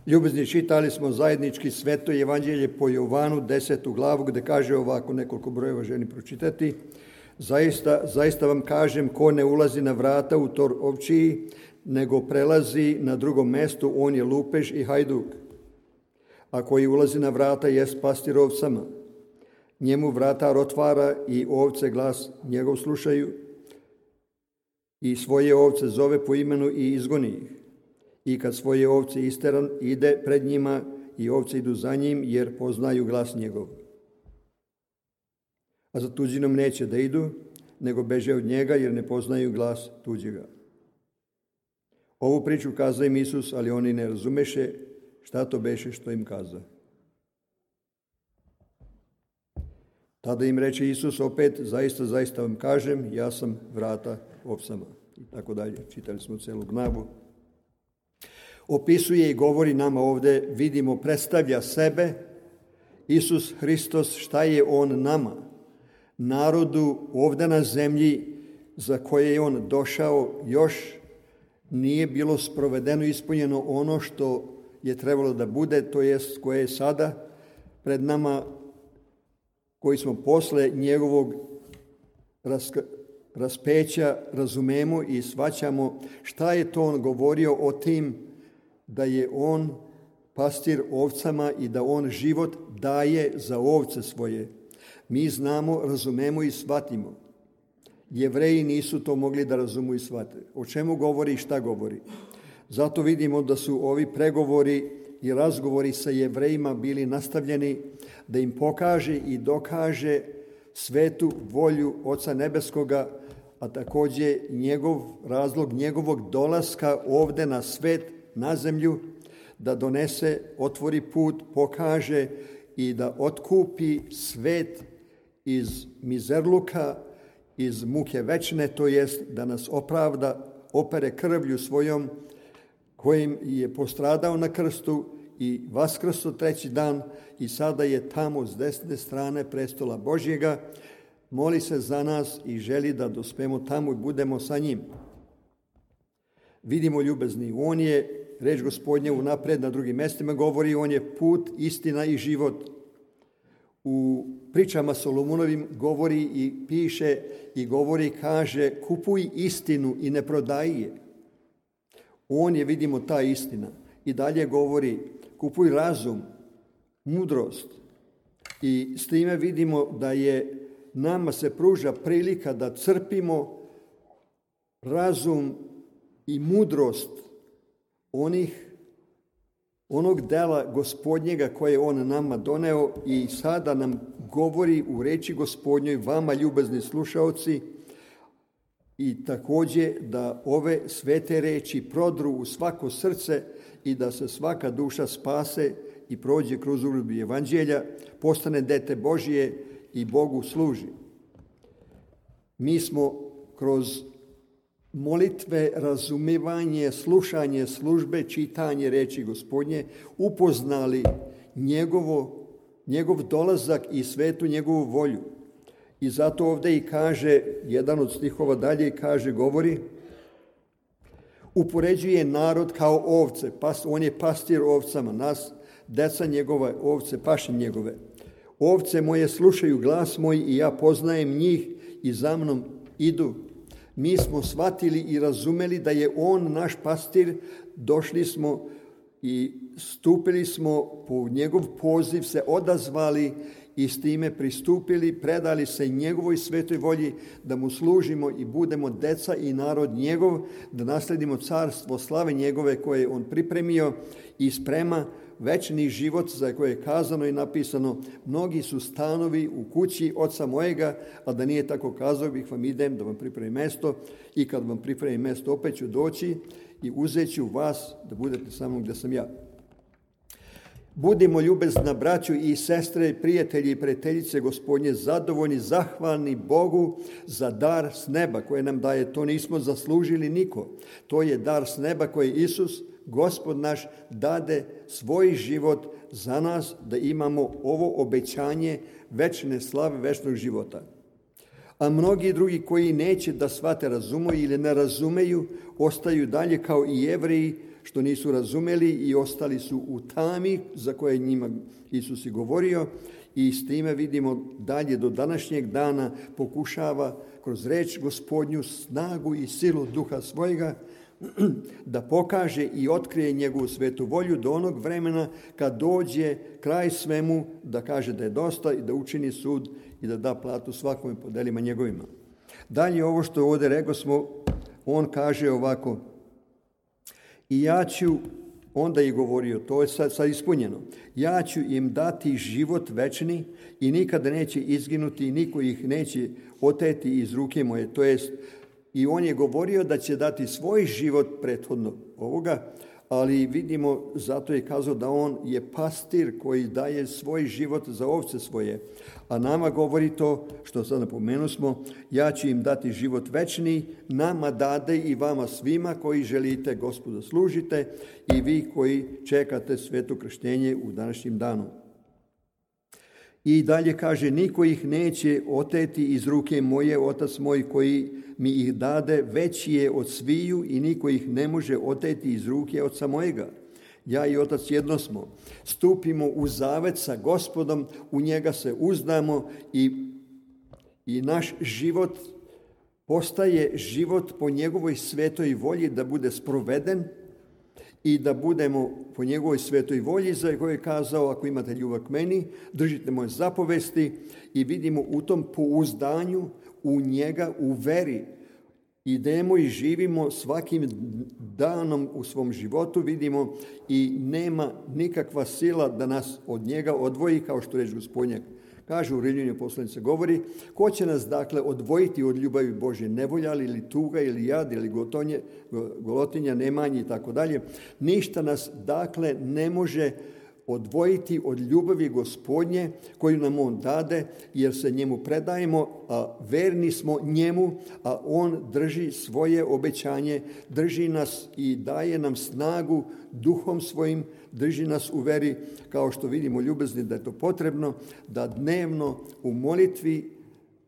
Ljubezni, čitali smo zajednički Sveto evanđelje po Jovanu 10. glavu, gde kaže ovako, nekoliko brojeva želim pročitati. Zaista vam kažem, ko ne ulazi na vrata u tor ovčiji, nego prelazi na drugom mestu, on je lupež i hajduk. A koji ulazi na vrata jest pastir ovcama. Njemu vratar otvara i ovce glas njegov slušaju i svoje ovce zove po imenu i izgoni ih. I kad svoje ovce isteran, ide pred njima i ovce idu za njim, jer poznaju glas njegov. A za tuđinom neće da idu, nego beže od njega, jer ne poznaju glas tuđega. Ovu priču kazao im Isus, ali oni ne razumeše šta to beše što im kaza. Tada im reče Isus opet, zaista vam kažem, ja sam vrata ovcama. I tako dalje. Čitali smo celu glavu. Opisuje i govori nama ovde, vidimo, predstavlja sebe, Isus Hristos, šta je on nama, narodu ovde na zemlji za koje je on došao, još nije bilo sprovedeno, ispunjeno ono što je trebalo da bude, to jest koje je sada pred nama, koji smo posle njegovog raspeća razumemo i shvaćamo šta je to on govorio o tim da je on pastir ovcama i da on život daje za ovce svoje. Mi znamo, razumemo i shvatimo. Jevreji nisu to mogli da razumu i shvate. O čemu govori i šta govori? Zato vidimo da su ovi pregovori i razgovori sa Jevrejima bili nastavljeni da im pokaže i dokaže svetu volju Oca Nebeskoga, a takođe razlog njegovog dolaska ovde na svet, na zemlju, da donese, otvori put, pokaže i da otkupi svet iz mizerluka, iz muke večne, to jest da nas opravda, opere krvlju svojom, kojim je postradao na krstu i vaskrso treći dan i sada je tamo s desne strane prestola Božjega, moli se za nas i želi da dospemo tamo i budemo sa njim. Vidimo, ljubezni, on je, reč Gospodnje unapred na drugim mestima govori, on je put, istina i život. U pričama Solomonovim govori i piše i govori, kaže, kupuj istinu i ne prodaj je. On je, vidimo, ta istina. I dalje govori, kupuj razum, mudrost. I s time vidimo da je nama se pruža prilika da crpimo razum i mudrost onog dela Gospodnjega koje je on nama doneo i sada nam govori u reči Gospodnjoj, vama ljubazni slušaoci, i takođe da ove svete reči prodru u svako srce i da se svaka duša spase i prođe kroz uljubu evanđelja, postane dete Božije i Bogu služi. Mi smo kroz molitve, razumevanje, slušanje službe, čitanje reči Gospodnje upoznali njegov dolazak i svetu njegovu volju. I zato ovde i kaže, jedan od stihova dalje kaže, govori, upoređuje narod kao ovce, on je pastir ovcama, nas, deca njegova, ovce, paše njegove. Ovce moje slušaju glas moj i ja poznajem njih i za mnom idu. Mi smo shvatili i razumeli da je on naš pastir, došli smo i stupili smo po njegov poziv, se odazvali i s time pristupili, predali se njegovoj svetoj volji da mu služimo i budemo deca i narod njegov, da nasledimo carstvo slave njegove koje je on pripremio i sprema večni život za koje je kazano i napisano, mnogi su stanovi u kući oca mojega, a da nije tako kazao bih vam idem da vam pripremim mesto i kad vam pripremim mesto opet ću doći i uzet ću vas da budete sa mnom gde sam ja. Budimo ljubezna braćo i sestre, prijatelji i prijateljice Gospodnje, zadovoljni, zahvalni Bogu za dar s neba koje nam daje. To nismo zaslužili niko. To je dar s neba koji Isus, Gospod naš, dade svoj život za nas da imamo ovo obećanje večne slave, večnog života. A mnogi drugi koji neće da shvate, razumeju ili ne razumeju, ostaju dalje kao i Jevreji, što nisu razumeli i ostali su u tami za koje njima Isus i govorio, i s time vidimo dalje do današnjeg dana pokušava kroz reč Gospodnju snagu i silu duha svojega da pokaže i otkrije njegovu svetu volju do onog vremena kad dođe kraj svemu, da kaže da je dosta i da učini sud i da da platu svakome po delima njegovima. Dalje ovo što ovdje rekao smo, on kaže ovako: i ja ću, onda je govorio, to je sad ispunjeno, ja ću im dati život večni i nikada neće izginuti i niko ih neće oteti iz ruke moje. To jest, i on je govorio da će dati svoj život prethodno ovoga, ali vidimo, zato je kazao da on je pastir koji daje svoj život za ovce svoje. A nama govori to, što sad napomenu smo, ja ću im dati život večni, nama dade i vama svima koji želite Gospoda služite i vi koji čekate sveto krštenje u današnjim danu. I dalje kaže, niko ih neće oteti iz ruke moje, otac moj koji mi ih dade, veći je od sviju i niko ih ne može oteti iz ruke oca mojega. Ja i otac jedno smo. Stupimo u zavet sa Gospodom, u njega se uzdamo i naš život postaje život po njegovoj svetoj volji da bude sproveden i da budemo po njegovoj svetoj volji za koju je kazao, ako imate ljubav k meni, držite moje zapovesti, i vidimo u tom pouzdanju u njega, u veri. Idemo i živimo svakim danom u svom životu, vidimo, i nema nikakva sila da nas od njega odvoji, kao što reč Gospodnja kaže u Rimljanima poslanica govori, ko će nas dakle odvojiti od ljubavi Božje, nevolja ili tuga ili jad ili golotinja, nemanje i tako dalje. Ništa nas dakle ne može odvojiti od ljubavi Gospodnje koju nam on dade, jer se njemu predajemo, a verni smo njemu, a on drži svoje obećanje, drži nas i daje nam snagu duhom svojim, drži nas u veri, kao što vidimo ljubezni da je to potrebno, da dnevno u molitvi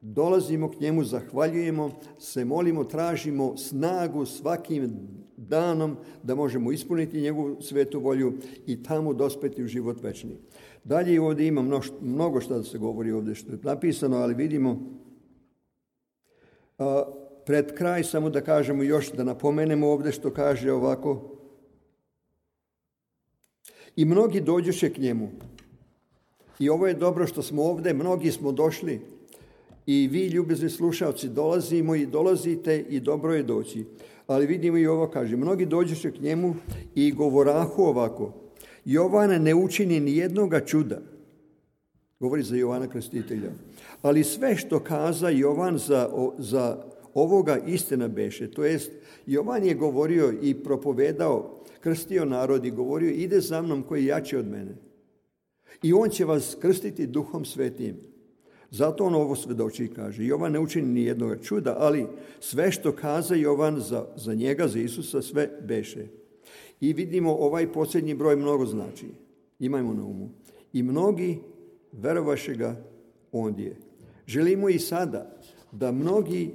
dolazimo k njemu, zahvaljujemo, se molimo, tražimo snagu svakim danom da možemo ispuniti njegovu svetu volju i tamo dospeti u život večni. Dalje ovdje ima mnogo što da se govori ovdje što je napisano, ali vidimo pred kraj samo da kažemo još, da napomenemo ovdje što kaže ovako: i mnogi dođuše k njemu. I ovo je dobro što smo ovdje, mnogi smo došli. I vi, ljubezni slušalci, dolazimo i dolazite i dobro je doći. Ali vidimo i ovo kaže, mnogi dođuše k njemu i govorahu ovako: Jovan ne učini ni jednoga čuda. Govori za Jovana Krstitelja. Ali sve što kaza Jovan za ovoga istina beše. To jest, Jovan je govorio i propovedao, krstio narod i govorio, ide za mnom koji je jači od mene. I on će vas krstiti Duhom Svetim. Zato on ovo svedoči i kaže, Jovan ne učini ni jednoga čuda, ali sve što kaza Jovan za njega, za Isusa, sve beše. I vidimo ovaj posljednji broj mnogo znači. Imajmo na umu. I mnogi verovaše ga ondje. Želimo i sada da mnogi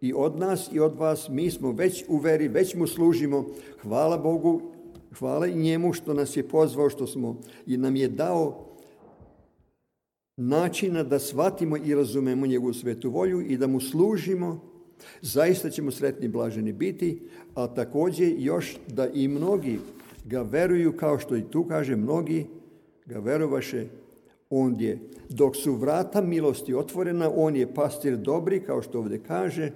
i od nas i od vas, mi smo već u veri, već mu služimo. Hvala Bogu, hvala i njemu što nas je pozvao, što smo i nam je dao načina da shvatimo i razumemo njegovu svetu volju i da mu služimo. Zaista ćemo sretni i blaženi biti, a također još da i mnogi ga veruju, kao što i tu kaže, mnogi ga verovaše ondje. Dok su vrata milosti otvorena, on je pastir dobri, kao što ovdje kaže,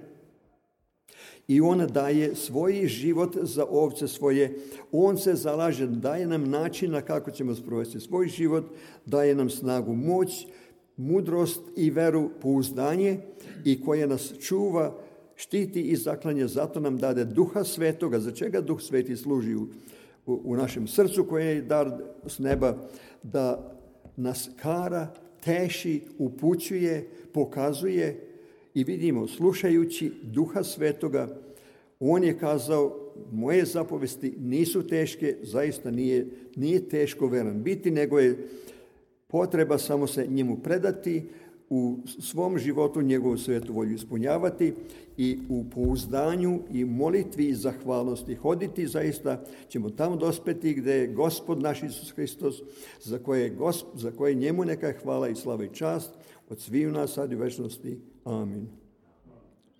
i on daje svoj život za ovce svoje. On se zalaže, daje nam načina kako ćemo sprovesti svoj život, daje nam snagu, moć, mudrost i veru, pouzdanje, i koja nas čuva, štiti i zaklanja. Zato nam dade Duha Svetoga. Za čega Duh Sveti služi u našem srcu, koje je dar s neba, da nas kara, teši, upućuje, pokazuje. I vidimo, slušajući Duha Svetoga, on je kazao, moje zapovesti nisu teške, zaista nije teško veran biti, nego je potreba samo se njemu predati, u svom životu njegovu svetu volju ispunjavati i u pouzdanju i molitvi i zahvalnosti hoditi, zaista ćemo tamo dospeti gdje je Gospod naš Isus Hristos, za koje njemu neka hvala i slava i čast od sviju nas sad i u večnosti. Amin.